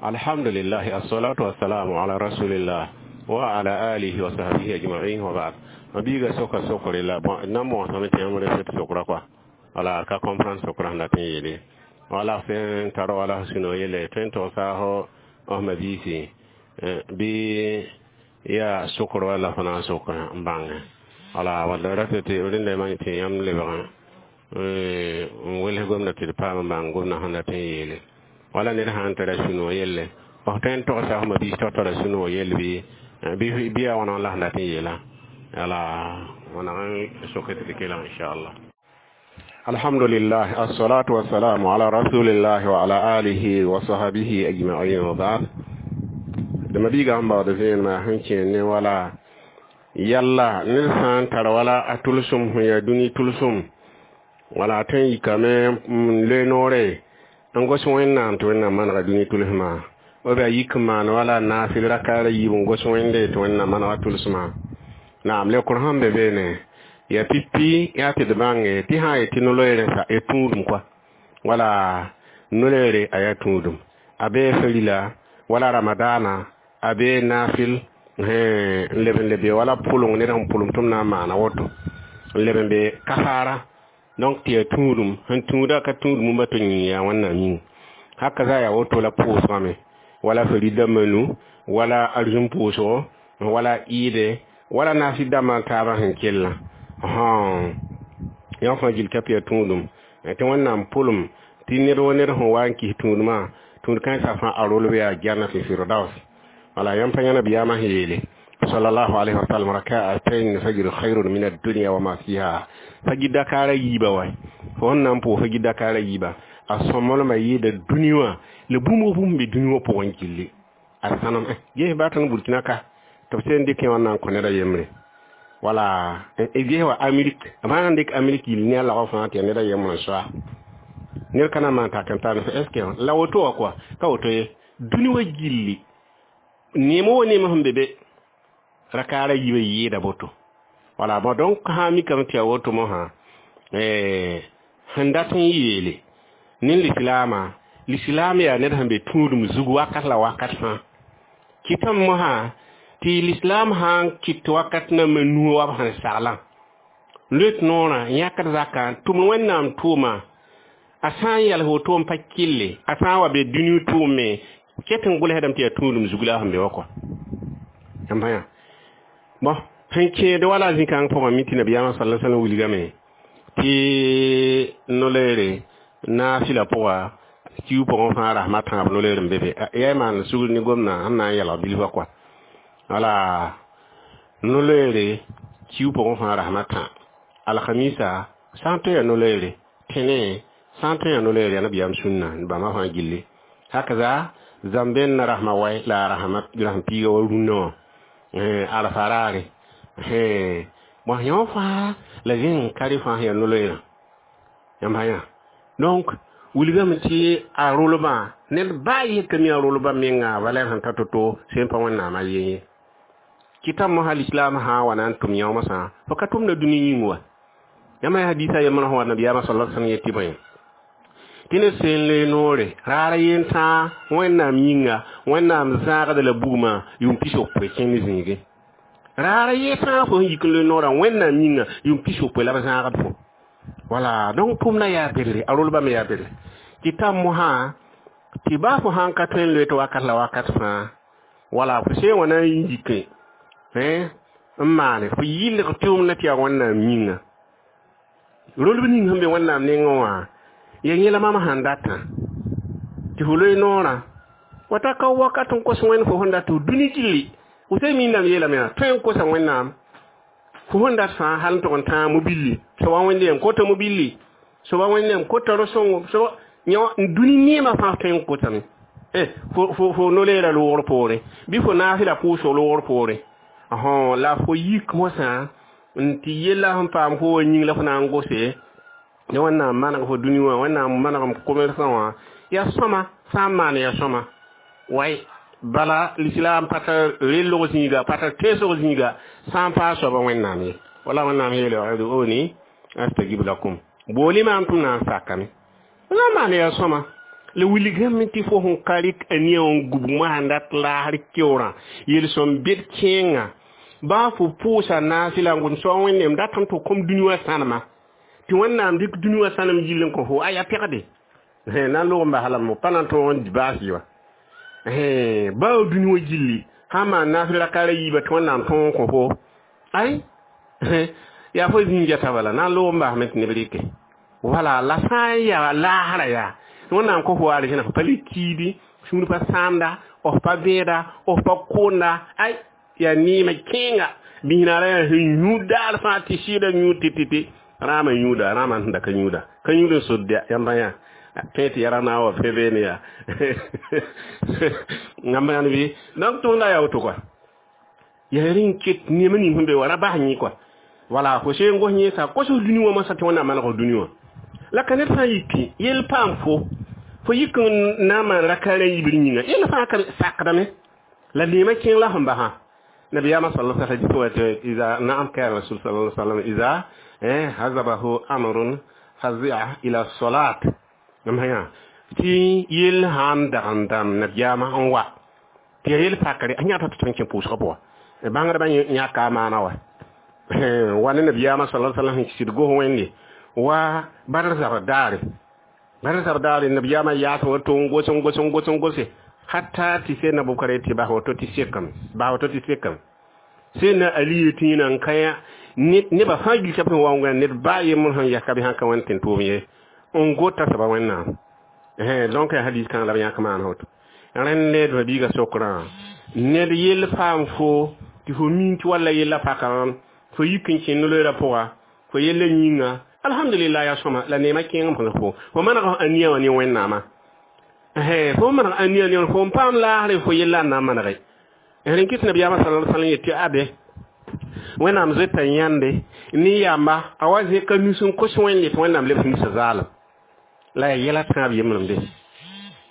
Alhamdulillah, assalatu wassalamu ala rasulillah wa ala alihi wa sahbihi ajma'in, wa ba'd. Mabiga soka sokore la bon na mo same tɩ yãmb rẽsd sokra kɔa, wala ka comprendre sokra sẽn dat n yeele wala sẽn tar wala sũ-no yelle tõe n togsa fo f mabiisi bɩ yaa sokr wala fo na n sok n bãnge wala wala rata tɩ rẽnda ma tɩ yãmb lebg n wels gomda tɩ d paam n bãng gomdã sẽn dat n yeele wala ned sã n tara sũ-no yelle f tõe n togsa f mabiis tɩ f tara sũ-no yell bɩ yaa wãna la sẽn dat n yeela wala wãneg n soke tɩ d kelg inchallah. Alhamdulillah, assalatu wassalamu ala rasulillah wa ala alihi wa sahbihi ajma'in, wa ba'd. D mabiiga sẽn baood vẽenemã sẽn kẽer ne wala yalla ned sã n tar wala a tʋlsem sẽn yaa dũni tʋlsem wala a tõe n yikame n loe noore n gos Wẽnnaam tɩ Wẽnnaam manega dũni tʋlsmã b a yik n maan wala naafɩl rakaara yiib n gos Wẽnde tɩ Wẽnnaam manega tʋlsmã. Naam, leokr sẽn be beene yaa pipi yaa tɩ d bãnge tɩ sã n yetɩ no-loeere ya tũudum kɔa wala no-loeere a yaa tũudum a bee farila wala ramadaana a bee naafɩl n leb n lebe wala pʋleng ned sẽn pʋlem tɩ m na n maana woto n leb n be kasaara. Donc tɩ yaa tũudum sẽn tũuda ka tũudum ba tɩ yĩng yaa Wẽnnaam yĩng haka za yaa woto la pʋʋsgame wala fari dãmbã nu wala arzũm pʋʋsgo wala ɩɩde wala naafɩl dãmbã taabã sẽn kellã yã fãa gill ka tɩ yaa tũudum tɩ Wẽnnaam pʋlem tɩ ned wa ned sẽn wa n kis tũudmã tũud kãensã fãa a rolb yaa jannat firdaus. Wala yãmb pa yã nabiyaamã sẽn yeele sallallahu alaihi wasallam: raka'atayn fajr khairun min ad-dunya wa ma fiha. Fajir dakara yiiba wa fo sẽn na n pʋʋs fajir dakara yiiba a sõmblmã yɩɩda dũni wã la bũmb bũmb be dũni wã pʋgẽ gilli a sãnem ges baa tõnd Burkina ka tɩ b sẽn dɩk wã na n kõ ned a yembre wala ges wa Amerik b sã n dɩk Amerik yil ne a lagf fãa tɩ ya ned a yembr n soa ned ka na n maan tak n tar est ce que la woto wã kɔa ka woto ye dũni wã gilli neem wo neem sẽn be be rakaara yiibã yɩɩda boto. Wala bon, donc sã n mikame tɩ ya woto mosã sẽn dat n yeele ne lislaamã lislaam yaa ned sẽn be tũudum zug wakat la wakat fãa kɩtame mosã tɩ lislaam sã n kɩt wakat nambã nuo wa b sẽn saglã loet noorã yãkd zakã tʋmd Wẽnnaam tʋʋma a sã n yals woto n pa kɩlle a sã n wa be dũni tʋʋme ket n gʋlsdame tɩ yaa tũudum zug la a sẽn be wa kɔa yãmb yã. Bon, sẽn kẽed wala zĩ-kãng pʋgẽ mi tɩ nabiyaamã sala sallam wilgame tɩ no-loeere naafɩla pʋga kiu pʋgẽ fãa rasmã tãab no-loeer n be be yaa maan sugr ne gomdã sẽn na n yɛlg bilfã kɔa wala no-loeere kiu pʋgẽ fãa rasmã tã alhamisa sã n tõe yaa no-loeere tẽne sã n tõe yaa no-loeere yaa nabiyaam sũnna bãmba fãa gilli hakaza zãmben na rasmã wai la a rasm piiga wa rũnnã wã arafa raare bon yõ fãa la zẽng ka rẽ fãa sẽn yaa no-loeerã yãmb yã. Donc wilgame tɩ a rolbã ned baa yetame mi a rolbã menga valɛr sẽn ta to-to sẽn pa Wẽnnaamã ye ye kɩtame mosã lislaam sã n wa na n tʋm yãoomsã fo ka tʋmda dũni yĩng wa yãmb yaa hadisa yembr sẽn wa nabiyaamã sala sallam yetɩ bõe tɩ ned sẽn loe noore raar yen tãa Wẽnnaam yĩnga Wẽnnaam zãagda la bugmã yʋʋm 60 kẽnd zĩige raar ye tãa fo sẽn yik n loe noorã Wẽnnaam yĩnga yʋʋm 60 la b zãagd fo. Wala donc tʋmdã yaa bedre a rolbã me yaa bedre tɩ tam mosã tɩ baa fo sãn ka tõe n loe tɩ wakat la wakat fãa wala fo sẽn wã na n yike n maane fo yɩlg tʋʋmdã tɩ yaa Wẽnnaam yĩnga rolb ning sẽn be Wẽnnaam nengẽ wã ya yẽla mam sãn datã tɩ fo loe noorã wata ka wakat n kos Wẽnd fo sẽn dat tɩ dũni gilli fo sẽn minname yeelame yaa tõe n kosa Wẽnnaam fo sẽn dat fãa hal n tʋg n tãag mobilli soaba Wẽnde yam kota mobilli soaba Wẽnde yam kota ro-sõngo soaba yõ dũni neemã fãa tõe n kotame fo no-leera loogr poorẽ bɩ fo naasɩla pʋʋsg loogr poorẽ la fo yik mosã n tɩ yella sẽn paam fo wa yĩng la fo na n gose ne Wẽnnaam maneg fo dũni wã Wẽnnaam manegem commerçant wã yaa sõma sã n maan yaa sõma way bala lislaam pa tar rellg zĩiga pa tar teesg zĩiga sã n paa soaba Wẽnnaam ye wala Wẽnnaam yeele ud'uni astajib lakum booli maam tɩ m na n sakame la maan yaa sõma. La wilgame tɩ fo sẽn ka rɩk a nia n gub wã dat laasr keoorã yel-sõm bed kẽenga baa fo pʋʋsa naasɩ la n gʋm soa Wẽnnaam datame tɩ kom dũni wã sãnema tɩ Wẽnnaam dɩk dũni wã sãnem gill n kõ fo a yaa pɛgde na n log n bas lame pa na n tõog n baas yɩ wa baa dũni wã gilli sã n maan naasɩ rakaara yiiba tɩ Wẽnnaam tõog n kõ fo ay yaa fo zĩig bala na n log n basme tɩ neb rɩke wala la sã n yaa laasra yaa Wẽnnaam kõ fo arzẽna fo pa le kiidi sũur pa sãamda f pa vẽeda f pa koonda ay yaa neemã kẽenga bisnaara yaa sẽn yũ daar fãa tɩ sɩɩda yũ tɩ rãamã yũuda rãamã sẽn da ka yũuda ka yũud n sod yãmba yã tõe tɩ yara na wa fẽ beene yaa yãmba yãnd bɩ donc tʋʋmda yaa woto kɔa yaa rẽ n ket neemã ning sẽn be wa ra bas yẽ kɔa wala fo seen gos yẽesa kos dũni wã masã tɩ Wẽnnaam maneg dũni wã la ka ned sã n yiki yell paam fo yik n na n maan rakaarã yibr yĩnga yell fãa ka sakdame la neemã kẽng la sẽn basã nabiyaamã sal hadis wa tɩ ida naam kana rasul sallallahu alaihi wasallam ida hazabahu amrun fazi'a ila salat nam haya tɩ yell sãn dag n dãmb nabiyaamã n wa tɩ ya yell pakre a yãta tɩ tõe n kẽ pʋʋsgã pʋga bãngdbã yãka a maana wa wa ne nabiyaamã sallallahu alaihi wasallam sɩd gos Wẽnde wa Badr zabr daare Badr zabr daare nabiyaamã yaas woto n gos n gos n gos n gose hatta tɩ sẽn na bʋkare tɩ bas woto tɩ sekame bas woto tɩ sekame sẽn na Ali tɩ yẽna n kã nebã fãa gil tɩ b sẽn wa n wẽnd ned baa yembr sẽn yɛs ka bɩ sãn ka wẽnd tɩ n tʋʋm ye n gota soaba Wẽnnaam donc hadis kãng la b yãk maan woto rẽnd ned mabiiga sokrã ned yell paam fo tɩ fo min tɩ walla yella pakã fo yik n kẽ no-loeerã pʋga fo yella yĩnga alhamdulillah yaa sõma la neemã kẽeng n fo fo maneg a nia wã ne Wẽnnaamã fo maneg a nia ne fo n paam laasre fo yella n na n manege rẽn kɩt nabiyaamã sallallahu alaihi wasallam yetɩ abe Wẽnnaam zoeta yãnde ne yamba a wa zẽka nus n kos Wẽnde tɩ Wẽnnaam lebs nusã zaalem la yaa yɛla tãab yembremde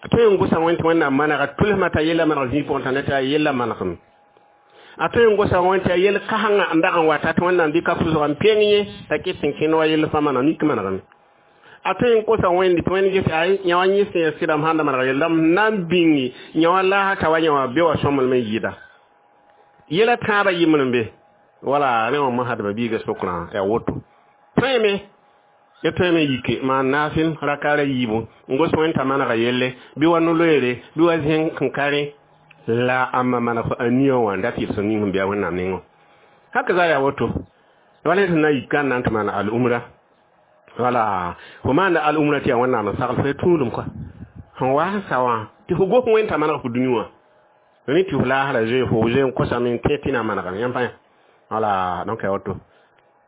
a tõe n gosa Wẽnd tɩ Wẽnnaam manega tʋlsmã t'a yella maneg zĩig pʋgẽ t'a ne t'a yella manegem a tõe n gosa Wẽnd tɩ a yell kasengã n dag n wata tɩ Wẽnnaam dɩka pʋsga n peng yẽ t'a ket n kẽnd wa yell fãa maneg mik manegame a tõe n kosa Wẽnde tɩ Wẽnd ges ay yã wa yẽ sẽn ya sɩdame sãn da manega yella m na n bĩngi yã wa laasa t'a wa yã wã be wa sõmblem n yɩɩda yɛla tãabã yembrem wala rẽ wã mosadba biiga sokrã yaa woto tõeme ya tõeme yike maan naafɩl rakaara yiibu n gos Wẽnd t'a manega yelle bɩ wa no-loeere bɩ wa zẽng n ka rẽ la ãmba maneg fo a nia wã n dat yel-sõm ning sẽn bɩa Wẽnnaam nengẽ haka za yaa woto wala sẽn na n yik n na n tɩ maan al-umra wala fo maanda al-umra tɩ yaa Wẽnnaam n sagl fo ya tũudum kɔa sẽn wa sẽn sa wã tɩ fo gos Wẽnd t'a maneg fo dũni wã rẽ tɩ fo laasra zoe fo zoe n kosame n tẽ tɩ na n manegame yãmb pãa wala donc ya woto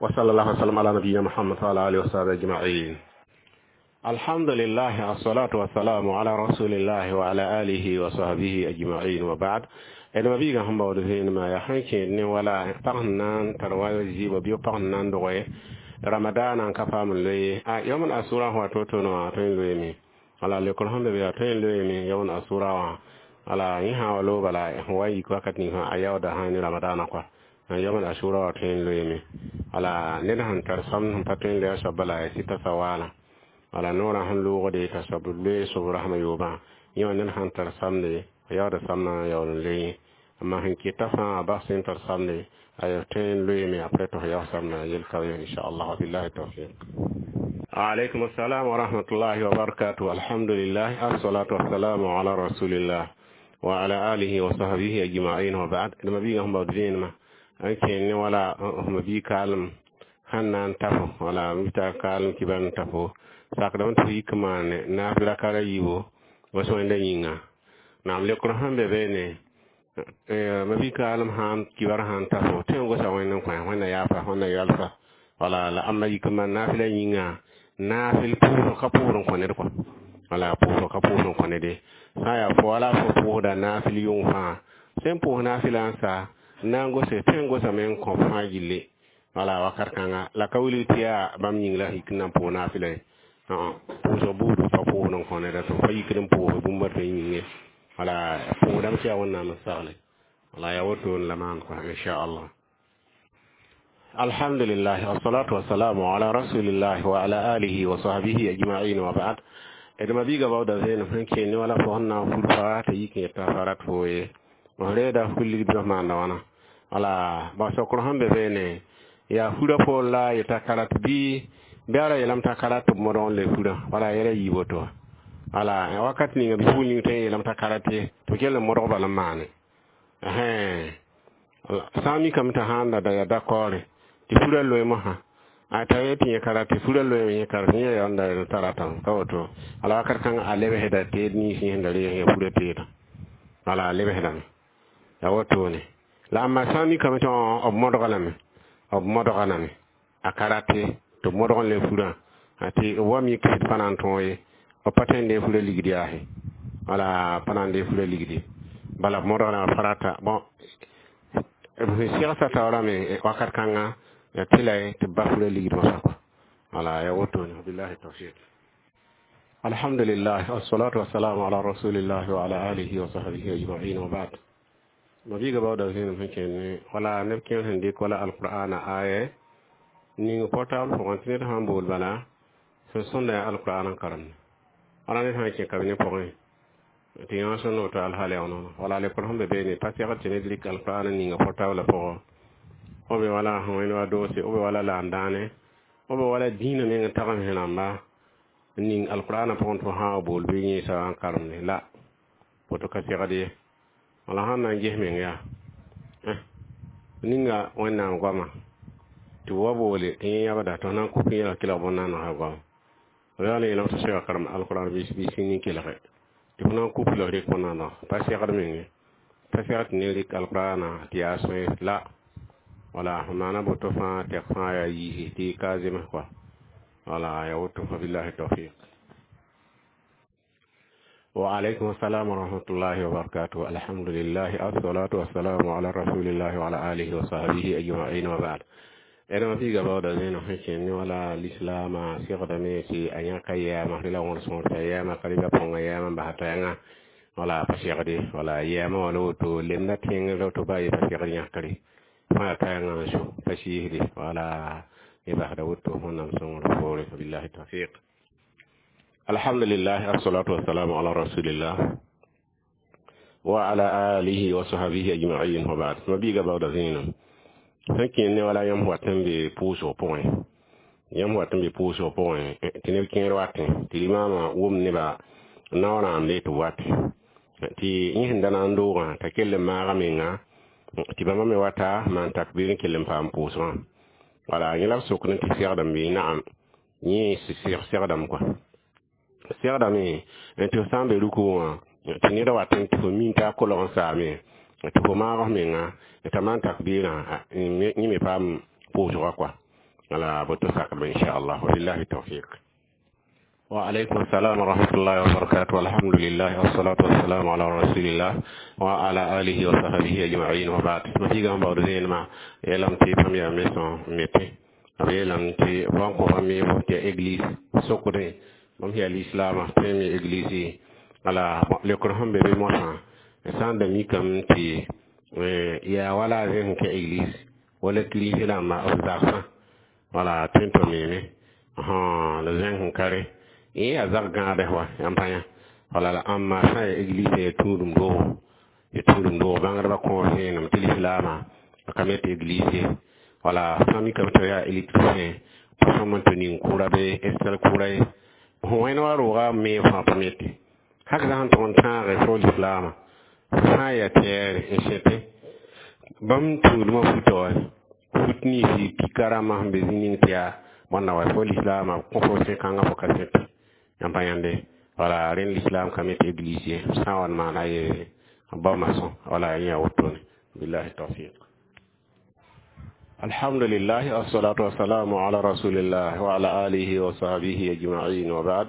wa sallallahu wasallam ala nabiyina Muhammad wa ala alihi wa sahbihi ajma'in. Alhamdulillah, assalatu wassalamu ala rasulillah wa ala alihi wa sahbihi ajma'in, wa ba'd. Ed mabiiga sẽn baood vẽenemã yaa sẽn kẽed ne wala pag sẽn na n tar wa zɩɩbã bɩ pag sẽn na n doge ramadaana n ka paam n loe a yom asura sẽn wa to-to wã tõe n loeeme wala lekr sẽn be be yaa tõe n loeeme yom asura wã wala yẽ sã wa loog bala sẽn wa n yik wakat ning sã a yaooda sã ne ramadaana kɔa yom asura wã tõe n loeeme wala ned sẽn tar sam sẽn pa tõe n loe a soab bala ya sɩta sawala wala noorã sẽn loogde t'a soab loe sob rasmã yoobã yẽ wã ned sãn tar samde a yaooda samnã yaool n loe amma sẽn keta fãa a bas sẽn tar samde a tõe n loeeme après tɩ fo yaoog samnã yel ka ye inchallah billahi tawfiq. Aleykum assalam wa rahmatullahi wa barakatuh. Alhamdulillah, assalatu wassalamu ala rasulillah wa ala alihi wa sahbihi ajma'in, wa ba'd. D mabiigã sẽn baood vẽenemã n kẽen ne wala ma bii kaalem sẽn na n tafo wala mita kaalem kibar n tafo sakdame tɩ fo yik n maane naaf rakara yiibo wa sõenda yĩnga naam lekr sẽn be beene ma bii kaalem sãn kibar sãn tafo tõe n gosa Wẽnd n kõ Wẽnna yaafa Wẽnna yalfa wala la ãmba yik n maan naafɩla yĩnga naafɩl pʋʋsg ka pʋʋsd n kõ ned kɔa wala pʋʋsg ka pʋʋsd n kõ nede sã n yaa fo wala fo pʋʋsda naafɩl yʋng fãa sẽn pʋʋs naafɩla n sa n na n gose tõe n gosame n kõ fãa gilli wala wakat kãnga la ka wilg tɩ yaa bãmb yĩng la yik n na n pʋʋs naafɩla ye pʋʋsg buud pa pʋʋsd n kõ neda tɩ fa yikd n pʋʋs bũmb tɩ yĩnge wala pʋʋsdame tɩ yaa Wẽnnaam n sagle wala yaa woto n la maan kɔa inchallah. Alhamdulillah, wassalatu wassalamu ala rasulillah wa ala alihi wa sahbihi ajma'in, wa ba'd. D ma-biigã baooda vẽenem sẽn kẽ ne wala fo sẽn na n fur fa t'a yik n yeta fa rat foo ye f reeda fur ligd b maanda wãna. Wala ba sokr sẽn be beene yaa furã poor la a yeta ka rat bɩ bɩ a ra yeelame t'a ka rat tɩ b modg n le furã wala yɛla yiib woto. Wala wakat ninga bɩ ning tõe n yeelame t'a ka rat ye tɩ b kell n modg bal n maane. Sã n mikame t'a sãn da yaa dakɔɔre tɩ furã loe mosã a t'a yet tɩ yẽ ka rat tɩ furã loe yẽ ka rat yẽ yaa da t'a ratame ka woto. Wala wakat kãngã a lebsda teed nins yẽ sẽn da reeg yã furã teedã wala a lebsdame ya wotone. La amma sã n mikame tɩ b modga lame, b modga lame a ka rat ye tɩ b modg n le furã tɩ b wa mik sɩd pa na n tõog ye b pa tõe n dee furã ligd yaase wala pa na n dee furã ligdi bala b modg lame pa rata. Bõn b sẽn segsa taoorame wakat kãngã ya tɩ la tɩ b bas furã ligd mosã kɔa wala ya wotone. Billahi tawfiq. Alhamdulillah, wassalatu wassalamu ala rasulillah wa ala alihi wa sahbihi ajma'in wa ba'd. Ma-biigã baooda zẽenem sẽn kẽnd wala neb kẽer sẽn dɩk wala alqur'ana aya ning portable pʋgẽ tɩ ned sãn bool bala sẽn sõnda yaa alqur'an n karemde wala ned sã n kẽ kabine pʋgẽ tɩ yã sõnd woto alhaal yaa nono wala lekol sẽn be beene pa segd tɩ ned rɩk alqur'an n ninga portable pʋgẽ b be wala sẽn wẽnd wa doose b be wala laam dãane b be wala dĩinã meng n tagem sẽ rãmba n ning alqur'ana pʋgẽ tɩ fo sã wa bool bɩ yẽesa n karemde la woto ka segd ye. Wala sãn na n ges meng yaa ninga wẽnnaam goama tɩ b wa boole tɩ yẽ yãbda tɩ f na n kʋk yẽla kelg bõn-naanegã goama b yaa la yeelame tɩ sega karem alqur'an bɩ sĩnd n kelge tɩ f na n kʋp la f rɩk bõn-naanega pa segd menge pa segd tɩ ned rɩk alqur'ana tɩ yaa sõe la wala f maana boto fãa tɛk fãa yaa yiisi tɩ ka zems kɔa wala ya woto fa billahi tawfiq. وعليكم السلام ورحمة الله وبركاته. الحمد لله، الصلاة والسلام على رسول الله وعلى آله وصحبه أجمعين وبعد. Ẽdem fiiga baooda zẽenem sẽn kẽnd ne wala lislaamã segdame tɩ a yãka yɛɛma tɩ la wõr sõor t'a yɛɛma ka rɩba põnga yɛɛma n basa t'a yãnga wala pa segde wala yɛɛma wala woto lemda tẽngr woto ba ye pa segd yãkre fãa ka yãnga n so pa sɩɩsde wala y basda woto wẽnnaam sõngr poore. Billahi tawfiq. Alhamdulillah, assalatu wassalamu ala rasulillah wa ala alihi wa sahbihi ajma'in wa ba'd. Ma biiga baooda zẽenem sẽn kẽnd ne wala yãmb wat n be pʋʋsg pʋgẽ, yãmb wat n be pʋʋsg pʋgẽ tɩ neb kẽer watẽ tɩ limaamã wʋm neba naoorãamde tɩ b watẽ tɩ yẽ sẽn da na n doogã t'a kell n maaga menga tɩ bãmba me wata maan takbir n kell n paam pʋʋsgã wala yẽ la b sokd tɩ segdame bɩ naam yẽ segdame kɔa segdame tɩ f sã n be ruku wã tɩ ned wat n tɩ fo min t'a kolg n saame tɩ fo maag f menga t'a maan takbirã yẽ me paam pʋʋsgã kɔa wala boto sakba inchallah. Wabillahi tawfiq. وعليكم السلام ورحمة الله وبركاته. الحمد لله، والصلاة والسلام على رسول الله وعلى آله وصحبه أجمعين وبعد. ما في جنب بعد ما يلام تي فم يا ميسون ميتي أبي يلام تي بانكو فمي بوتي إغليس سكري بام هي الإسلام تيمي إغليسي على لكرهم بيبي موسى سان دمي كم تي يا ولا زين كإغليس ولا كليسي لما أفضل ولا تنتو ميمي ها لزين كاري yẽ yaa zag gãadɛ wa yãmb pa yã wala la ãmma sã n ya église ya tũudum doogo ya tũudum doog bãngdbã kõor vẽenem tɩ lislaamã a ka me tɩ église ye wala sã mikame tɩ yaa électricien pa sõm n tɩ ning kʋra bɩ estel kʋra ye fõ wẽnd wa rooga me fãa pa mete hak sã n tʋg n tãage fo lislaamã sã n yaa tɛɛre n sẽte bãmb tũudmã futa wa fut ninsɩ pika rãmbã sẽn be zĩ ning tɩ yaa bõnda wa fo lislaamã kõ fo sẽ-kãngã fo ka sẽte yãmb pa yãnde wala rẽnd l'islam ka me tɩ église ye sã n wa n maana ye ba maçon wala yẽ yaa wotone. Billahi tawfiq. Alhamdulillah, assalatu wassalamu ala rasulillah wa ala alihi wa sahbihi ajma'in wa ba'd.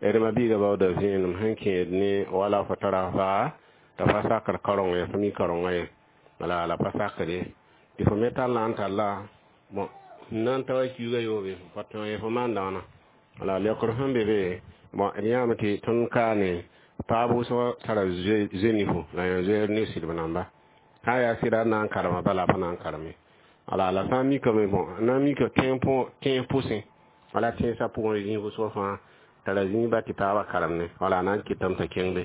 D ma biiga baooda vẽenem sẽn kẽed ne wala fo tara faa t'a pa sakr karong ye fo mi karonga ye wala la pa sakre tɩ fo me tall n talla bon n na n ta wa kiuga yoobe pa tõe ye fo maan dãana wala leokr sẽn be be bon d yãame tɩ tõnd kaane paab wʋsg tara zoe nifo la yã zoeer ne sɩdb namba sã n yaa sɩda n na n karema bala pa na n kareme wala la sã n mikame bon n na n mika tẽeg pʋsẽ wala tẽnsã pʋgẽ zĩig wʋsg fãa. T'a ra zĩig ba tɩ taabã karem ne. Wala a na n kɩtame t'a kẽng be.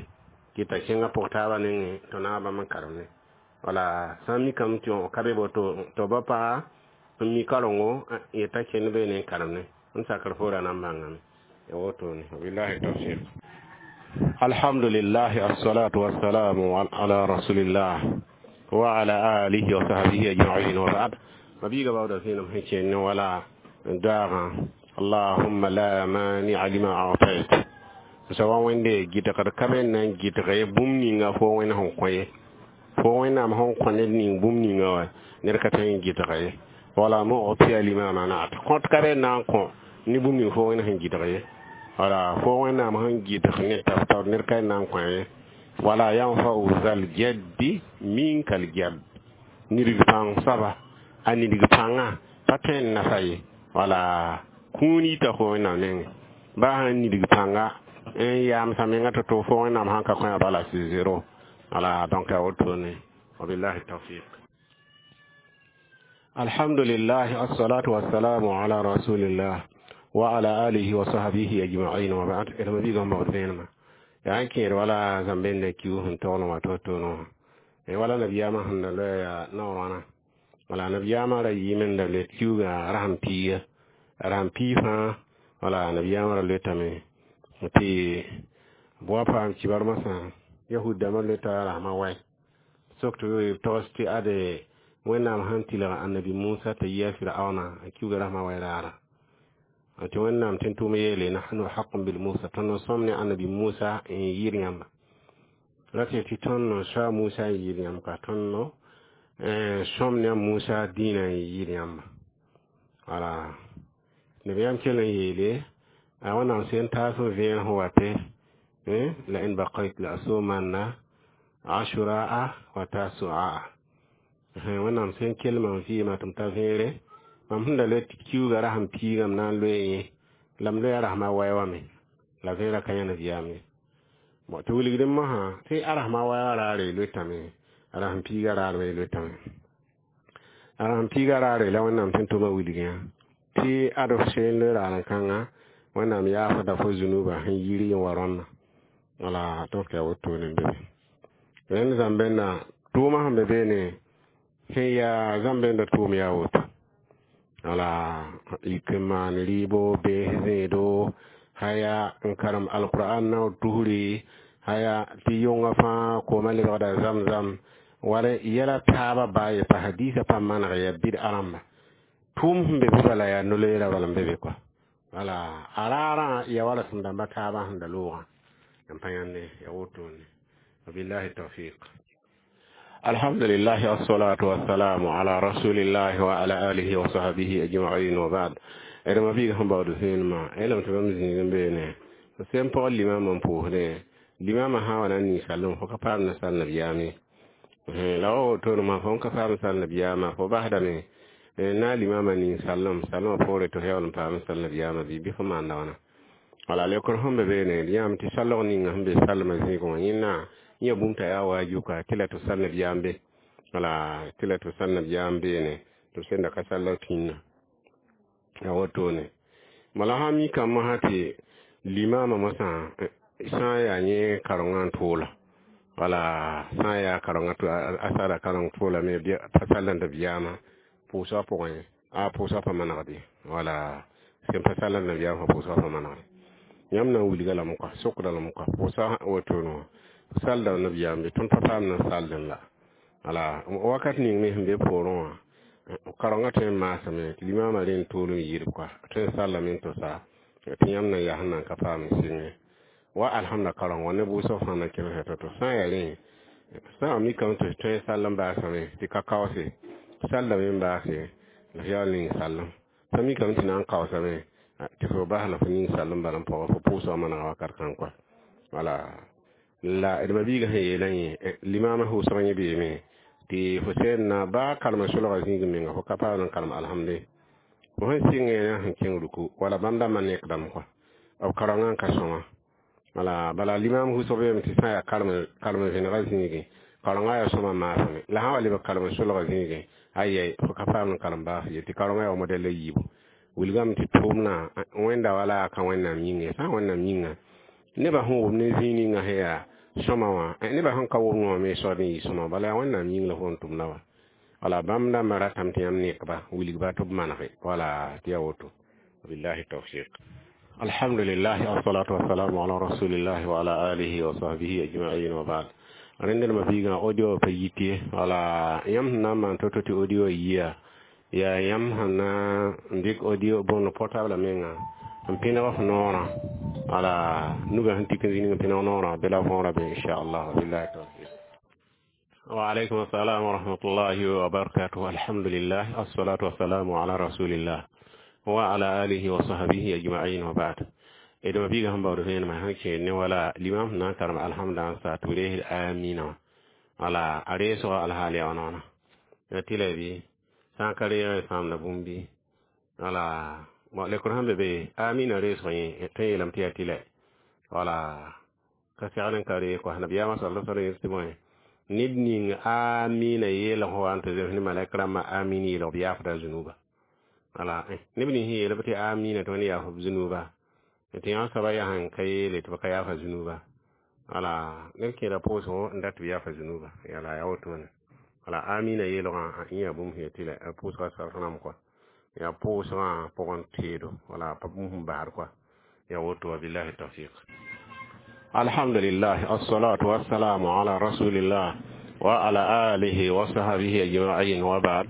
Kɩta kẽngã pʋg taabã nengẽ tɩ naab bãmb n karem ne. Wala sã n mikame tɩ ka be woto tɩ ba paga n mi karengo yeta kẽnd beene n karem ne. N sakr fo ra na n bãngame. Ya wotone. Wabillahi tawfiq. Alhamdulillah, assalatu wassalamu ala rasulillah wa ala alihi wa sahbihi ajma'in wa ba'd. Mabiga bawda sẽnam sẽn kẽnd wala daagã allahumma la mani'a lima a'tayt. Sawa wẽnde gɩdgd ka me n na n gɩdg ye bũmb ninga fo wẽnd sẽn kõ ye. Fo wẽnnaam sẽn kõ ned ning bũmb ninga wã ned ka tõe n gɩdg ye. Wala mu'tiya lima manat. Kõt ka be n na n kõ ne bũmb ning fo wẽnd sẽn gɩdg ye. Wala fo wẽnnaam sẽn gɩdg ne tab ned ka n na n kõ ye. Wala yanfa'u zal jaddi minkal jadd. Nidg pãng soaba a nidg pãngã pa tõe n nafa ye. Wala kũun yita fo wẽnnaam nengẽ. Baa sãn nidg pãnga n yaamsã menga to-to fo wẽnnaam sãn ka kõ ya bala sɩ zero. Wala donc ya wotone. Wabillahi tawfiq. Alhamdulillah, assalatu wassalamu ala rasulillah wa ala alihi wa sahbihi ajma'in wa ba'd. Ila mabiga mawdinma. Ya n kẽed wala zãmbenda kiu sẽn togl wã to-to no. Wala nabiyaamã sẽn da loɛɛ yaa naoor wãna. Wala nabiyaamã ra yɩɩm n da loe kiuugã rasem piiga. Rasem piig fãa wala nabiyaamã ra loetame tɩ bʋa paam kibar masã yahud dãmbã loeta rasmã wɛ. Sok tɩ b togs tɩ ade wẽnnaam sẽn tɩlg annabi Musa t'a yi a Firaona a kiuga rasmã wɛ raara. Tɩ wẽnnaam tɩ n tʋʋm yeele nahnu haqun bil Musa tõnd n sõm ne annabi Musa n yɩɩd yãmba. Ra tɩ tɩ tõnd n soa Musa n yɩɩd yãmb ka tõnd sõm ne a Musa dĩinã n yɩɩd yãmba. Wala nabiyaam kell n yeele a wẽnnaam sẽn taas n vẽen sẽn wate la in baqayt la asumanna ashura'a wa tasu'a. Wẽnnaam sẽn kell mam vɩɩmã tɩ m ta vẽere mam sẽn da loe tɩ kiuugã rasem piigã m na n loe yẽ la m loe a rasmã wɛ wã me la vẽerã ka yã nabiyaam ye. Bon tɩ wilgdẽ mosã tɩ a rasmã wɛ wã raare loetame a rasem piigã raar me loetame. A rasem piigã raare la wẽnnaam sẽn tʋma wilgẽ tɩ ad f seen loe raar-kãngã wẽnnaam yaafda fo zunuba sẽn yir n wa rõnna. Wala donc ya wotone n be be. Rẽnd zãmbẽnda tʋʋmã sẽn be beene sẽn yaa zãmbẽnda tʋʋm yaa woto. Wala yik n maan rɩɩbo bees zẽedo haya n karem alqur'an naoor tusri haya tɩ yõngã fãa koomã lebgda zam-zam wala yɛla taabã baa ye pa hadiisã pa maneg yaa bɩd-a rãmba. Tʋʋm sẽn be be bala yaa no-loeera bala n be be kɔa. Wala a raarã ya wala sẽn dãmba taabã sẽn da loogã. N pa yãnde ya wotone. Wabillahi tawfiq. Alhamdulillah, assalatu wassalamu ala rasulillah wa ala alihi wa sahbihi ajma'in wa ba'd. D mabiig sẽn baood sẽenmã elame tɩ bãmb zĩig n beene sẽn pɔg limamã n pʋʋsdẽ limamã sã n wa na n ninsallem fo ka paam na sal nabiyaam ye. La wa wotone mã fo n ka paam sal nabiyaamã fo basdame na limamã ninsallem sallmã poore tɩ f yaool n paam sal nabiyaamã bɩ fo maanda wãna. Wala lekr sẽn be beene d yãame tɩ sallg ninga sẽn be sallmã zĩigẽ wã yẽnna yẽ bũmb t'a yaa waajuka tɩ la tɩ sal nabiyaam be. Wala tɩ la tɩ sal nabiyaam beene tɩ b sẽn da ka sall tĩnã. Ya wotone. Bala sã n mikame mosã tɩ limamã mosã sã n yaa yẽ karengã n tʋʋla. Wala sã n yaa karengã a sara kareng tʋʋla me pa sall nabiyaamã pʋʋsgã pʋgẽ a pʋʋsgã pa manegd ye. Wala sẽn pa sall nabiyaamã pʋʋsgã pa manegd. Yãmb na n wilga lame kɔa sokda lame kɔa pʋʋsga wotone wã salda nabiyaam be tõnd pa paam na saldẽ la. Wala wakat ning me sẽn be poorẽ wã karengã tõe n maasame tɩ limamã rẽnd tool n yɩɩd kɔa tõe n sallame n tosa tɩ yãmb na n yaa sẽn na n ka paam n sɩngẽ. Wa alhamda kareng wã ne bʋʋsg fãa na kelg to-to sã n yaa rẽ sã n mikame tɩ tõe n sall n baasame tɩ ka kaoose sallame n baase la f yaool ning sallem. Sã mikame tɩ na n kaoosame tɩ fo bas la fo ning sallem bala n pɔgɔ fo pʋʋsgã manega wakat kãng kɔa. Wala la d mabiigã sẽn yeelã yẽ limamã hʋʋsg yẽ beeme tɩ fo sẽn na baa kalma solga zĩig menga fo ka paam n kalem alhamde. Fo sẽn sɩngẽ na sẽn kẽng ruku wala bãmb dãmbã nekdame kɔa b karengã n ka sõma. Wala bala limam hʋsg beeme tɩ sã n yaa kalem vẽnegã zĩigẽ karengã yaa sõma maasame la sã n wa lebg kalem solgã zĩigẽ ayɛ fo ka paam n kalem baas ye tɩ karengã yaa wa modɛl a yiibu. Wilgame tɩ tʋʋmdã wẽnda wala ka Wẽnnaam yĩnga ye. Sã n Wẽnnaam yĩnga, nebã sẽn wʋm ne zĩig ninga sẽn yaa sõma wã, nebã sẽn ka wʋmd wã me soab n yɩ sõma. Bala yaa Wẽnnaam yĩng la fo n tʋmda wã. Wala bãmb dãmbã ratame tɩ yãmb nekba, wilgba tɩ b manege. Wala tɩ yaa woto. Billahi tawfiq. Alhamdulillah, wassalatu wassalamu ala rasulillah wa ala alihi wa sahbihi ajma'in wa ba'd. Rẽnd ma biigã audio pa yit ye. Wala yãmb sẽn na n maan to-to tɩ audio yiya, yaa yãmb sẽn na n dɩk audio bõnd portable menga n pẽneg f noorã. Wala nugã sẽn tik n zĩnig n pẽneg noorã be la võora be, inchallah. Billahi tawfiq. Wa alaykum assalam wa rahmatullahi wa barakatuh. Alhamdulillah, assalatu wassalamu ala rasulillah wa ala alihi wa sahbihi ajma'in wa ba'd. Edma biiga sẽn baood vẽenemã sẽn kẽed ne wala limam sẽn na n karem alhamda n sa tɩ b reesd amina wã. Wala a reesga alhaal yaa wãna ya tɩ la bɩ sã n ka reeg sãamda bũmb bɩ. Wala lekr sẽn be be amina reesg yẽ tõe n yeelame tɩ yaa tɩ la wala ka segl n ka reeg kɔa. Nabiyaamã sala sallam yel tɩ bõe, ned ning amina yeelg fo wa n tɩ zems ne malɛk rãmbã amin yeelg b yaafda zunuba. Wala neb nins sẽn yeelb tɩ amina tɩ wẽnd yaaf b zunuba, tɩ yã soaba yaa sẽn ka yeele tɩ b ka yaafa zunuba. Wala neb kẽeda pʋʋsgo n dat tɩ b yaafa zunuba. Yala yaa wotone. Wala amina yeelgã yã bũmb sẽn tɩ la pʋʋsga sarf rãmb kɔa, yaa pʋʋsgã pʋgẽ teedo. Wala pa bũmb sẽn basd kɔa, yaa woto wa. Billahi tawfiq. Alhamdulillah, assalatu wassalamu ala rasulillah wa ala alihi wa sahbihi ajma'in wa ba'd.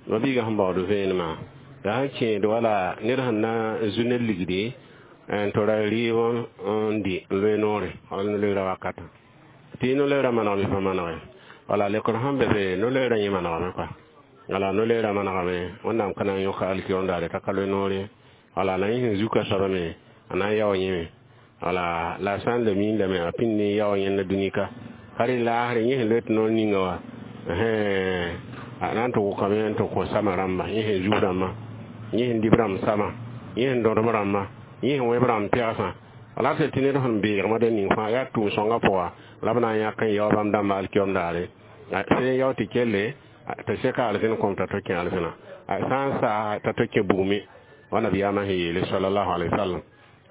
Mabiiga sẽn baood vẽenemã la sẽn kẽed wala ned sẽn na n zu ne ligdi n tora rɩɩb n dɩ n loe noore wala no-loeerã wakatã tɩ no-loeerã manegme pa manege. Wala lekr sẽn be be no-loeerã yẽ manegame kɔa. Wala no-loeerã manegame, Wẽnnaam ka na n yõka alkiyoom daare t'a ka loe noore. Wala la yẽ sẽn zuka soaba me a na n yao yẽme. Wala la sã n le miin lame a pĩnd ne yao yẽnda dũni ka ka rẽ laasre yẽ sẽn loe tɩ noor ninga wã a na n tɩ wʋkame n tɩ kõ sama rãmba, yẽ sẽn zub rãmbã, yẽ sẽn dib rãmb sama, yẽ sẽn dõdem rãmbã, yẽ sẽn wẽb rãmb pɛgsã. Wala tɩ ned sẽn beegmã de ning fãa yaa tʋʋm-sõngã pʋga la b na n yãk n yao bãmb dãmbã alkiyoom daare sẽn yao tɩ kelle tɩ seka alzẽn kõm t'a to kẽ alzẽna, sã n saa t'a to kẽ bugme wa. Nabiyaamã sẽn yeele salallahu alaihi wasallam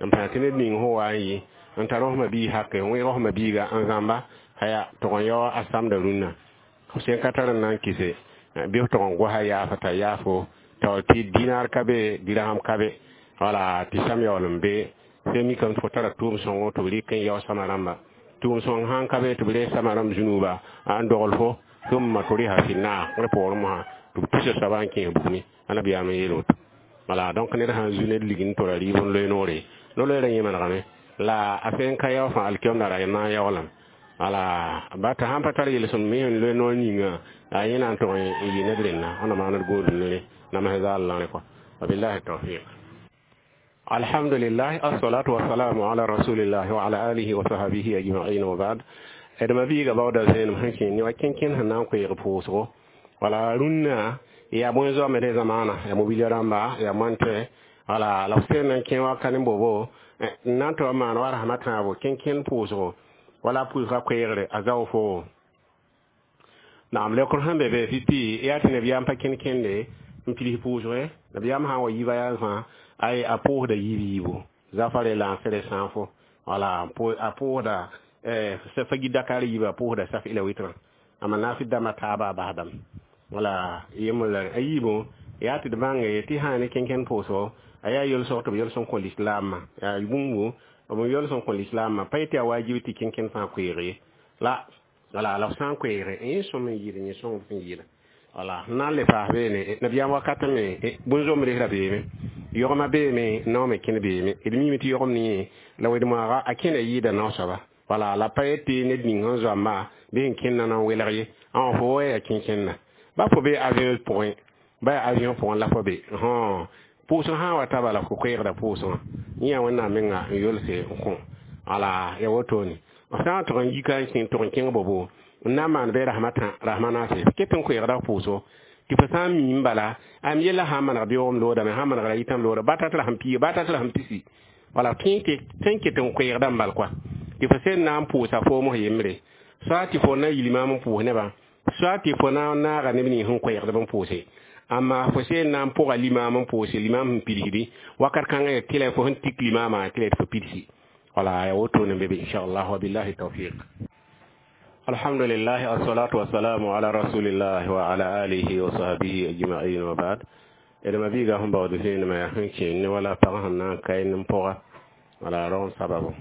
n pãa tɩ ned ning sẽn wa n yɩ n tar f mabiig hake n wẽeg f mabiiga n zãmba haya tʋg n yao a samda rũnnã f sẽn ka tar n na n kɩse bɩ f tʋg n gosa yaafa t'a yaafo taoor tɩ dinar ka be, dirham ka be. Wala tɩ sam yaool n be sẽn mikame tɩ fo tara tʋʋm sõngo tɩ b rɩk n yao sama rãmba. Tʋʋm sõng sãn ka be tɩ b rees sama rãmb zũnuba n dogl fo ثم طرح في النار rẽ poorẽ mosã tɩ b tusa soaba n kẽes bugmẽ. A nabiyaam n yeel woto. Wala donc ned sãn zu ned lig n tora rɩɩb n loe noore, no-loeerã yẽ manegame la a sẽn ka yao fãa alkiyoom daara a na n yaoolame. Wala ba tɩ sãn pa tar yel-sõmd me sẽn loe noor yĩnga a yẽ na n tʋg n yɩ ned rẽnna wẽnna maaned gũud ne nams zaal la rẽ kɔa. Wabillahi tawfiq. Alhamdulillah, assalatu wassalamu ala rasulillah wa ala alihi wa sahbihi ajma'in wa ba'd. D mabiiga baooda zẽenem sẽn kẽ ne wa kẽn-kẽn sẽn na n koeeg pʋʋsgo. Wala rũnnã yaa bõe zoame de zamaana yaa mobilia rãmba yaa moãntẽ. Wala la f sẽn na n kẽ waka ne bobo n na n tɩ wa maan wa rasmã tãabo kẽn-kẽn pʋʋsgo wala pʋʋsga koeegre a zao fo naam lekr sẽn be be pipi yaa tɩ nabiyaam pa kẽn-kẽnde n pids pʋʋsge. Nabiyaam sã n wa yiba yaa fãa ay a pʋʋsda yiib yiibu zafare la n sere sãafo. Wala a pʋʋsda fagi Dakar yiiba, a pʋʋsda saf ila wɩtrã ama naafɩ dãmbã taaba a basdame. Wala yembr la a yiibu yaa tɩ d bãnge tɩ sã ne kẽn-kẽn pʋʋsgo a yaa yel-sõg tɩ b yel-sõng kõ lislaamã yaa bũmbu b yel-sõng kõ lislaamã pa yetɩ yaa wajib tɩ kẽn-kẽn fãa koeeg ye la. Wala la f sã n koeegre yẽ sõm n yɩɩd yẽ sõng sẽn yɩɩda. Wala n na n le paas beene nabiyaam wakat me bũn-zomb resra beeme, yogmã beeme, naoome kẽnd beeme. D miime tɩ yogem ne yẽ la wed-moaaga a kẽnda yɩɩda nao soaba. Wala la pa yetɩ ned ning sẽn zoamba bɩ sẽn kẽndã na n welg ye ã fo wa yaa kẽn-kẽnda ba fo be avion pʋgẽ, ba yaa avion pʋgẽ la fo be pʋʋsg sã n wa ta bala fo koeegda pʋʋsgã yẽ yaa Wẽnnaam menga n yolse n kõ. Wala ya wotone f sã n tʋg n yika n kẽ tʋg n kẽng bobo n na n maan bɩ rasmã tã rasmã naase ket n koeegda pʋʋsgo tɩ fo sã n miim bala am yella sã n maneg beoogem loodame, sã n manegra yitãm looda ba tat rasem piiga, ba tat rasem pisi. Wala tõe tɩ n ket n koeegda n bal kɔa tɩ fo sẽn na n pʋʋsa foom f yembre, soa tɩ fo na yil maam n pʋʋs nebã, soa tɩ fo na n naaga neb nins sẽn koeegdb n pʋʋse. Amma fo sẽn na n pʋga limaam n pʋʋse limaam sẽn pidsdi wakat kãngã tɩ la fo sẽn tik limaamã tɩ la fo pidsi. Wala ya woto ne bebe inshallah wa billahi tawfiq. Alhamdulillah, assalatu wassalamu ala rasulillah wa ala alihi wa sahbihi ajma'in wa ba'd. Edma biiga sẽn baood vẽenemã yaa sẽn kẽ ne wala pag sẽn na n kae nin pʋga wala rong sababu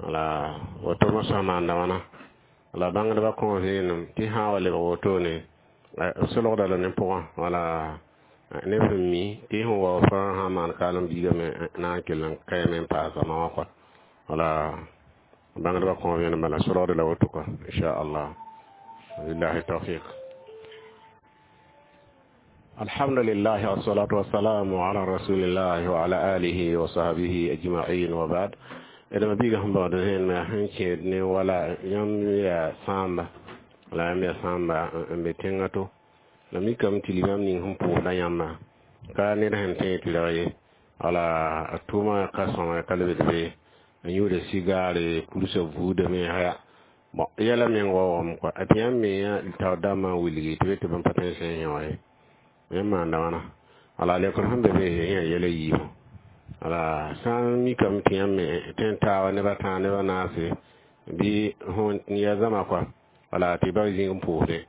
wala woto mosã maanda wãna la bãngdbã kõ vẽenem tɩ sã n wa lebg wotone solgda la ne pʋgã wala neb sẽn mi tɩ sẽn wa fãa sã n maan kaalem biigame na n kell n kaame n paasa ma wã kɔa wala bãngdbã kõ vẽenem bala solgda la woto kɔa inchallah billahi tawfiq. Alhamdulillah, wassalatu wassalamu ala rasulillah wa ala alihi wa sahbihi ajma'in wa ba'd. Edma biiga sẽn baood vẽenemã sẽn kẽed ne wala yãmb yaa sãamba la yãmb yaa sãamba n be tẽngã to la mikame tɩ limaam ning sẽn pʋʋsda yãmba ka ned sẽn tẽeg tɩ rag ye wala a tʋʋmã ka sõma ka lebd be n yʋʋda sigaare pulsa buudame haya bon yɛla meng waoogame kɔa tɩ yãmb me taoor dãmbã n wilgi tɩ be tɩ bãmb pa tõe n sẽn yẽ wa ye yãmb maanda wãna wala lekr sẽn be be yã yɛla yiibu wala sã n mikame tɩ yãmb me tõe n taaba neb a tãag neb a naase bɩ ya zãma kɔa wala tɩ ba zĩig n pʋʋsdẽ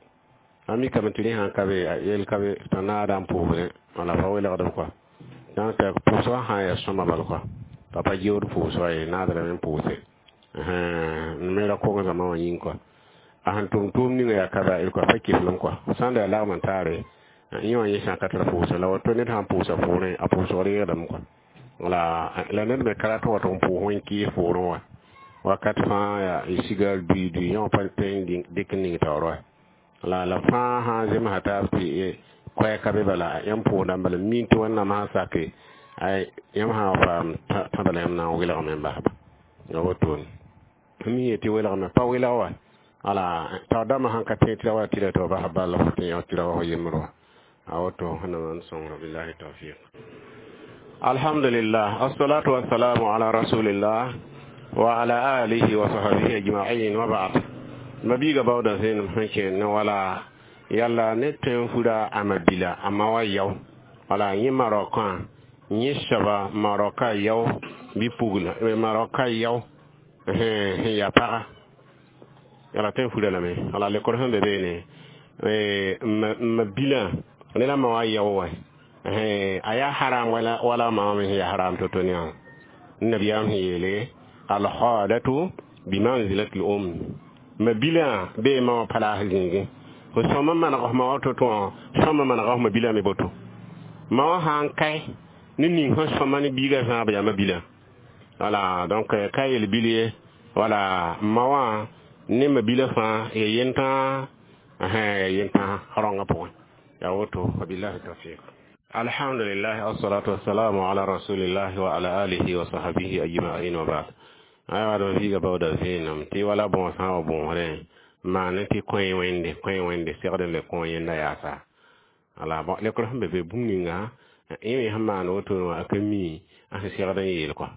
a mikame tɩ rẽ sãn ka be yel ka be t'a naada n pʋʋsdẽ wala pa welgdb kɔa donc pʋʋsgã sã n yaa sõma bal kɔa t'a pa geood pʋʋsga ye naadrame n pʋʋse me ra kong zãma wã yĩng kɔa a sẽn tʋm tʋʋm ninga yaa ka ba kɔa pa kiflem kɔa sã n da yaa lagm n taare yẽ wã yẽ sã ka tar pʋʋsa la woto ned sãn pʋʋsa pʋʋrẽ a pʋʋsg reegdame kɔa wala la ned me ka rat wa tɩ n pʋʋs wẽn kɩɩs pʋʋrẽ wa wakat fãa yaa sigar dui dui yẽ wã pa tõe n dɩk n ning taoor wa la fãa sã n zemsa taab tɩ koɛɛ ka be bala yãmb pʋʋsdã bala mi tɩ wẽnnaam sã n sake yãmb sã n faam tã bala yãmb na n welgame n basba ya wotone mi yetɩ welgame pa welg wa wala taoor dãmbã sãn ka tẽ tɩ ra wa tɩ ra tɩ bas bala fo tẽ tɩ ra wa fo yembr wa a woto wẽnnaam n sõngra billahi tawfiq. Alhamdulillah, assalatu wassalamu ala rasulillah wa ala alihi wa sahbihi ajma'in wa ba'd. Mabiga bawda sen sẽn kẽ ne wala yalla ne tõe n fura a mabila a ma wa yao wala yẽ marokã yẽ soaba maroka yao bɩ pugla maroka yao sẽn yaa paga yala tõe n fura lame wala lekor sẽn be beene mabila ne la ma wa yao wa a yaa haram wala ma me yaa haram to-to ne nabiyaam sẽn yeele alkhadatu bimanzilati l-um mabila be ma wa palaas zĩigẽ fo sõma maneg f ma wa to-to wã sõma manega f mabila me boto ma wã sã n kae ne ning sẽn sõma ne biigã zãab yaa mabila wala donc ka yel bil ye wala ma wã ne mabila fãa ya yentã ya yentã rãongã pʋgẽ ya woto wabillahi tawfiq. Alhamdulillah, assalatu wassalamu ala rasulillah wa ala alihi wa sahbihi ajma'in wa ba'd. Aywa d viiga baooda vẽenem tɩ wala bõos sã n wa bõosrẽ maan tɩ kõe wẽnde segd n le kõ yẽnda yaasa wala bon lekr sẽn be be bũmb ninga yẽ sẽn maan wotone wã a ka mi a sẽn segd n yeel kɔa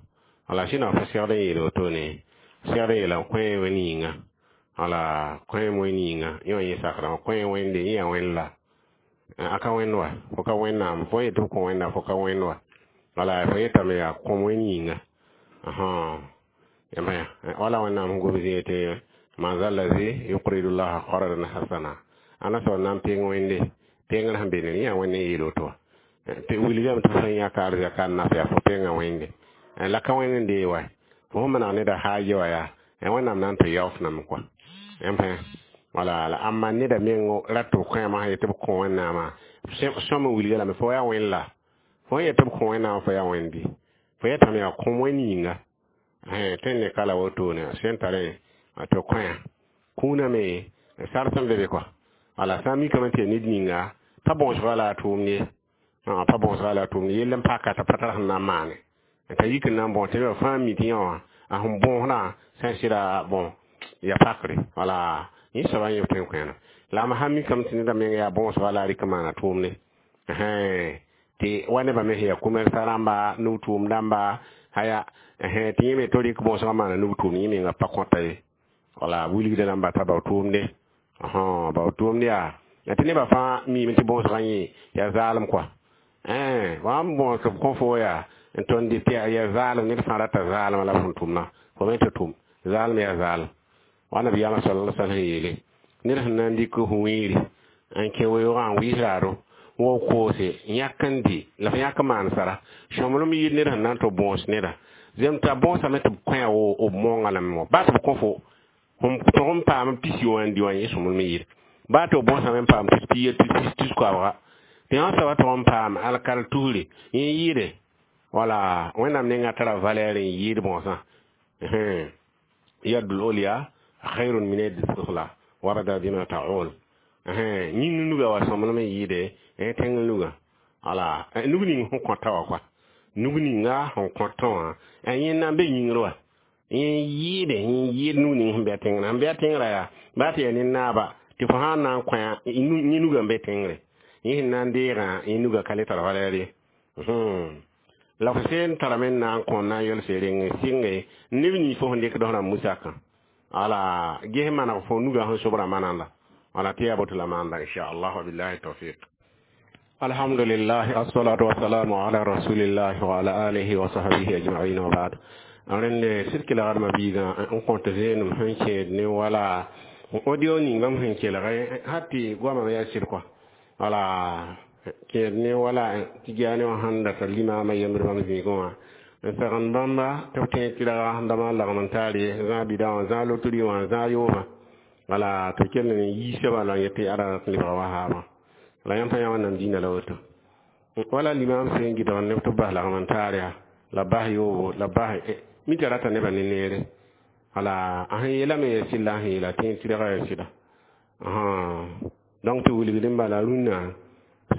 wala sẽn na fa segd n yeel wotone segd n yeela kõe wẽnd yĩnga wala kõe wẽnd yĩnga yẽ wã yẽ sakdã kõe wẽnde yẽ yaa wẽnd la a ka wẽnd wa fo ka wẽnnaam fo yetɩ f kõ wẽnna fo ka wẽnd wa wala fo yetame yaa kõm wẽnd yĩnga yãmba wala wẽnnaam sẽn gom zĩig tɩ man zallazi yuqridu llaha qardan hasana ana soab na n peng wẽnde pengr sẽn be ne yã wẽnd n yeel woto wa tɩ wilgame tɩ sẽn yãka arzɛka n naf yaa fo penga wẽnde la ka wẽnd n dee wa fo sẽn maneg neda haaje wa yaa wẽnnaam na n tɩ yaof name kɔa yãmb wala la amma neda meng rat tɩ b kẽema sã yetɩ b kõ wẽnnaamã sõm n wilga lame fo yaa wẽnd la fo n yetɩ b kõ wẽnnaamã fo yaa wẽnd bɩ fo yetame yaa kõm wẽnd yĩnga tõe n ne ka la wotone sẽn tarẽ tɩ kõya kũunã me sar sẽn be be kɔa wala sã n mikame tɩ yaa ned ninga pa bõosga la a tʋʋmd ye pa bõosga la a tʋʋmd yell n paka t'a pa tar sẽn na n maane t'a yik n na n bõos tɩ nebã fãa mi tɩ yã wã a sẽn bõosdã sã n sɩda bõ ya pakre wala yẽ soaba yẽ tõe n kẽena la m sã mikame tɩ neda meng yaa bõosga la a rɩk n maana tʋʋmde tɩ wa nebã me sẽn yaa commerça rãmba nub tʋʋm dãmba haya tɩ yẽ me tɩ rɩk bõosgã maana nub tʋʋmd yẽ menga pa kõta ye wala wilgda rãmba t'a bao tʋʋmde bao tʋʋmd yaa La tɩ nebã fãa miime tɩ bõosgã yẽ yaa zaalem kɔa. Wa n bõos b kõ fo yaa n tõnd tɩ yaa zaalem, ned fãa rata zaalmã la b sẽn tʋmna. Fo me tɩ tʋm zaalem yaa zaalem. Wa nabiyaamã sallallahu alaihi wasallam yeele ned sẽn na n dɩk f wĩiri n kẽ weoogã n wɩɩs raado wa koose yãk n dɩ la f yãk n maan sara sõmblem yɩɩd ned sẽn na n tɩ bõos neda zem t'a bõosame tɩ b kõ wo b monga lame wã baa tɩ b kõ fo sẽn tog n paam pis wã n dɩ wã yẽ sõmblem yɩɩd baa tɩ b bõosame n paam tus piig tus tus koabga tɩ yã soaba tog n paam alkal tusre yẽ yɩɩde wala Wẽnnaam nengã tara valɛɛr n yɩɩd bõosã yadul olya khairun min yadi sufla warda bima ta'ul yĩng nuga wa sõmblem n yɩɩde tẽng nuga wala nug ning sẽn kõta wã kɔa nug ninga sẽn kõtã wã yẽ na n be yĩngr wa yẽ yɩɩde yẽ yɩɩd nug ning sẽn be a tẽngrã sẽn be a tẽngrã yaa baa tɩ yaa ne naaba tɩ fo sã n na n kõ yẽ nuga n be tẽngre yẽ sẽn na n deegã yẽ nuga ka le tar valɛɛr ye la fo seen tarame n na n kõ na n yelse reng sɩnge neb nins fo sẽn dɩkd f rãmb musakã wala ges maneg fo nuga sẽn sobrã mananda wala tɩ yaa boto la maanda inchallah wabillahi tawfiq. Alhamdulillah, assalatu wassalamu ala rasulillah wa ala alihi wa sahbihi ajma'in wa ba'd. Rẽnde sɩd kelgdmã biigã n kõt zeenem sẽn kẽed ne wala audio ning bãmb sẽn kelg har tɩ goamã yaa sɩd kɔa wala kẽed ne wala tɩ giane wã sãn data limaamã yembd bãmb zĩigẽ wã n segend bãmba tɩ b tẽeg tɩrga sẽn da maan lagem n taar ye zãag bida wã zãag lotri wã zãag yoobã wala tɩ kell n yiisã bala n yet tɩ ada rat n lebga wahaabã la yãmb pa yã wẽnnaam dĩinã la woto wala limaam sẽn gɩdg neb tɩ b bas lagem n taar yaa la bas yoobo la bas mi tɩ rata nebã ne neere wala a sẽn yeelame yaa sɩlla a sẽn yeela tẽeg tɩrga yaa sɩda donc tɩ wilgd n bala rũnnã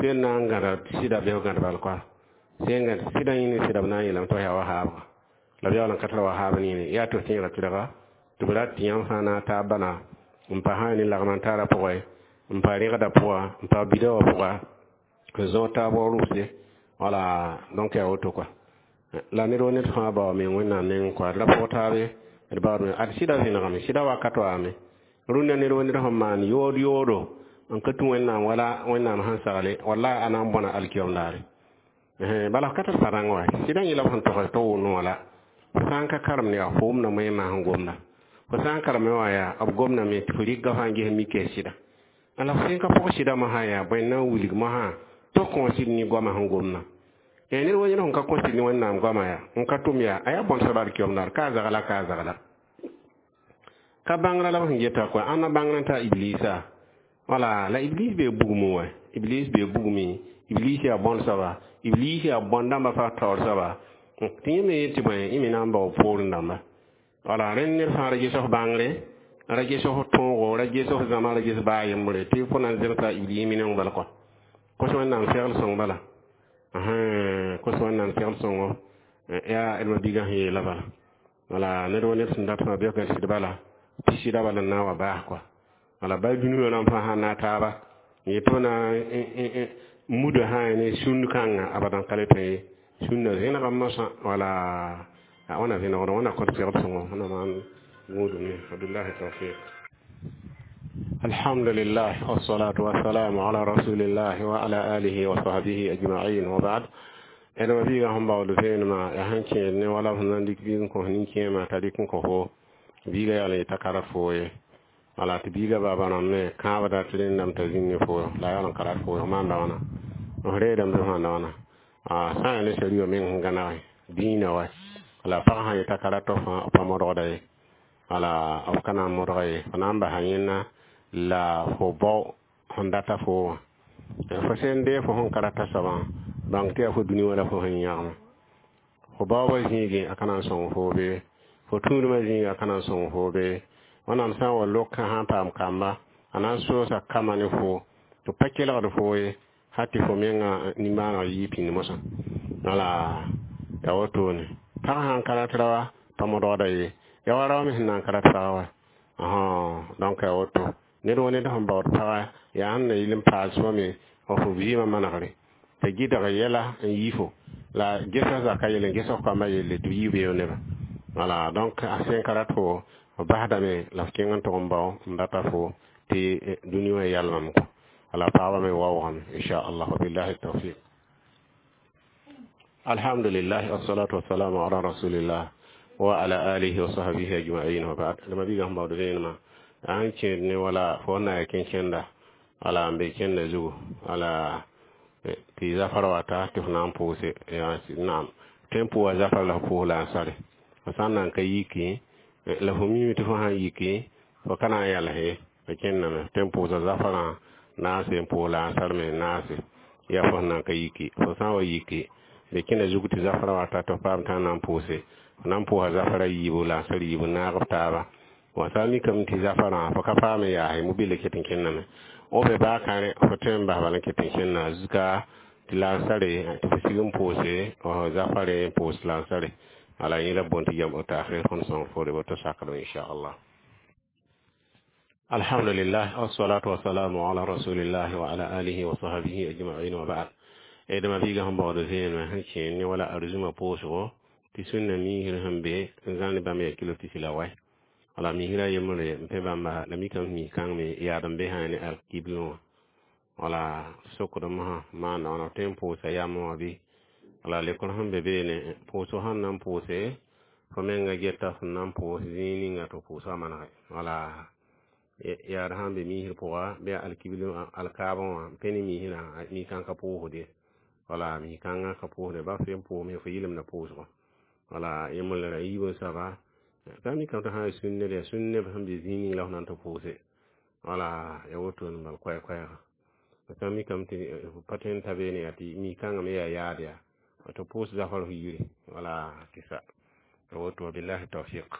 sẽn na n gãda sɩda bɩ f gãd bal koa sẽn gãd sɩda yẽ ne sɩda b na n yeelame tɩ f yaa wahaabga la b yaool n ka tara wahaab nene yaa tɩ f tẽega tɩrga tɩ b rat tɩ yãmb fãa na taab bana n pa sã ne lagem n taara pʋgẽ n pa rẽgda pʋga n pa bida wã pʋga n zõog taab wa rʋʋse wala donc yaa woto kɔa la ned wa ned fãa bao meng Wẽnnaam nengẽ kɔa d ra pʋg taabe d baoodme ad sɩda vẽnegame sɩda wakat waame rũnnã ned wa ned sẽn maan yood yoodo n ka tũ Wẽnnaam wala Wẽnnaam sẽn sagle wallahi a na n bõna alkiyom daare bala f ka tar pa-rãng wa sɩdã yẽla b sẽn togs tɩ wʋ noor la fo sã n ka karem yaa fo wʋmda moẽmã sẽn gomda fo sã n kareme wã yaa b gomdame tɩ fo rɩka fãa ges mika sɩda la f sẽn ka pʋg sɩda mosã yaa bõe n na n wilg mosã tɩ f kõ sɩd ne goamã sẽn gomdã ned wa yẽd sẽn ka kõ sɩd ne Wẽnnaam goamã yaa n ka tʋm yaa a yaa bõn soab alkiyom daar ka a zagla ka a zagla ka bãngrã la b sẽn geta kɔa ãnna bãngrã t'a iblisa wala la iblis bee bugmẽ wã iblis bee bugmẽ iblis yaa bõn soaba iblis yaa bõn dãmbã fa taoor soaba tɩ yẽ me yet tɩ bõe yẽ me na n bao poorẽ dãmba wala rẽnd ned fãa ra ges f bãngre ra ges f tõogo ra ges f zãma ra ges baa yembre tɩ fo na n zemsa iblis mineng bala kɔa kos Wẽnnaam segl sõng bala kos Wẽnnaam segl sõngo yaa d ma-biigã sẽn yeela bala wala ned wa ned sẽn dat fãa bɩ f gãd sɩd bala tɩ sɩda bala n na n wa baas kɔa wala ba dũniyã rãmb fãa sã n na taaba n yet tɩ b na muda sã ne sũnd kãngã abadan ka le tõe ye sũndã zẽnegame mosã wala wãna vẽnegd wãna kõt segd sõngo wãna maan gũudum ye wabillahi tawfiq. Alhamdulillah, wassalatu wassalamu ala rasulillah wa ala alihi wa sahbihi ajma'in wa ba'd. D ma biigã sẽn baood vẽenemã yaa sẽn kẽed ne wala f sẽn na n dɩk biig n kõ nin-kẽemã t'a dɩk n kõ fo biigã yaa la yeta ka rat foo ye wala tɩ biigã baaba rãmb me kãabda tɩ rẽndame t'a zĩnd ne fo la a yaool n ka rat foo f maanda wãna f reedame tɩ f maanda wãna sã n yaa ne sariya meng sẽn gãnege dĩinã wa la pag sã yeta ka rat f pa modgda ye wala f ka na n modga ye fo na n basa yẽnna la fo bao sẽn data fo wã fo sẽn dee fo sẽn ka rata soabã bãng tɩ yaa fo dũni wã la fo sẽn yãgema fo baoobã zĩigẽ a ka na n sõng foo be fo tũudmã zĩiga a ka na n sõng foo be wẽnnaam sã n wa lokã sã n paam kamba a na n soosa kama ne fo tɩ pa kelgd foo ye har tɩ fo mengã nimbãaneg yɩɩ pĩnd mosã wala yaa wotone pag sã n ka rat raoa pa modgda ye yaa wa rao me sẽn na n ka rat pagã wa donc yaa woto ned wa ned sẽn baood paga yaa sẽn na yɩl n paas fo me f vɩɩmã manegre t'a gɩdg yɛla n yi fo la gesa zaka yelle n ges f kambã yelle tɩ b yɩ beoog nebã wala donc a sẽn ka rat fo f basdame la f kẽng n tʋg n bao n data fo tɩ dũni wã yalmame kɔ. Wala paaba me waoogame, inchallah. Wa billahi tawfiq. Alhamdulillah, wassalatu wassalamu ala rasulillah wa ala alihi wa sahbihi ajma'in, wa ba'd. Dama biga sẽn baood vẽenemã sã n kẽed ne wala fo na ya kẽn-kẽnda, wala n be kẽnda zugu, wala tɩ zafar wata tɩ f na n pʋʋse. Naam, tõe n pʋʋsa zafar la f pʋʋs la n sare. Fo sã n nan ka yiki la fo mime tɩ fo sãn yiki, fo ka na n yals fo kẽndame. Tõe n pʋʋsa zafarã naase, n pʋʋs la n sar me naase. Yaa fo sẽn nan ka yiki. Fo sã n wa yiki, be kẽnda zug tɩ zafara wata tɩ f paam tã n na n pʋʋse, f na n pʋʋsa zafara yiibu la n sar yiibu naag b taaba. Wa sã n mikame tɩ zafarã fo ka paam n yaase, mobile ket n kẽndame o be baa kãre, fo tõe n bas bala n ket n kẽnda zuka tɩ la n sare, tɩ fo sig n pʋʋse zafare, n pʋʋs la n sare. Ala yẽ la bõn tɩ yam takhir fõn sõng fo woto sakdem, inchallah. Alhamdulillah, wassalatu wassalamu ala rasulillah wa ala alihi wa sahbihi ajma'in, wa ba'd. Dama biiga sẽn baood vẽenemã sẽn kẽer ne wala arzũmã pʋʋsgo tɩ sũnna miisr sẽn be n zãn bãmb yaa kilo pisi la wɛ. Wala misra yembre n pẽ bãmba la mikame mis kãng me yaad n be sã ne alkiblẽ wã. Wala sokdem sã maanda wãna tõe n pʋʋsa yam wã bɩ? Wala lekr sẽn be beene, pʋʋsg sẽn na n pʋʋse, fo menga geta sẽn na n pʋʋs zĩig ninga tɩ pʋʋsga manege. Wala yaad sãn be misr pʋga bɩ alkibl alkaabẽ wã n pẽ ne misrã, mi-kãng ka pʋʋsde. Wala mi-kãngã ka pʋʋsde ba fo n pʋʋsme, fo yɩlemda pʋʋsgo. Wala yembre ra yiib n soaba t'a mikame tɩ sã n sũnne yaa sũn neb sẽn be zĩig ning la f na n tɩ pʋʋse. Wala ya woto n bal koɛɛ-koɛɛga. T'a mikame tɩ pa tõe n ta beene yaa tɩ mi-kãngã me yaa yaad yaa tɩ pʋʋs zafar f yiri. Wala tɩ sa ya woto. Billahi tawfiq.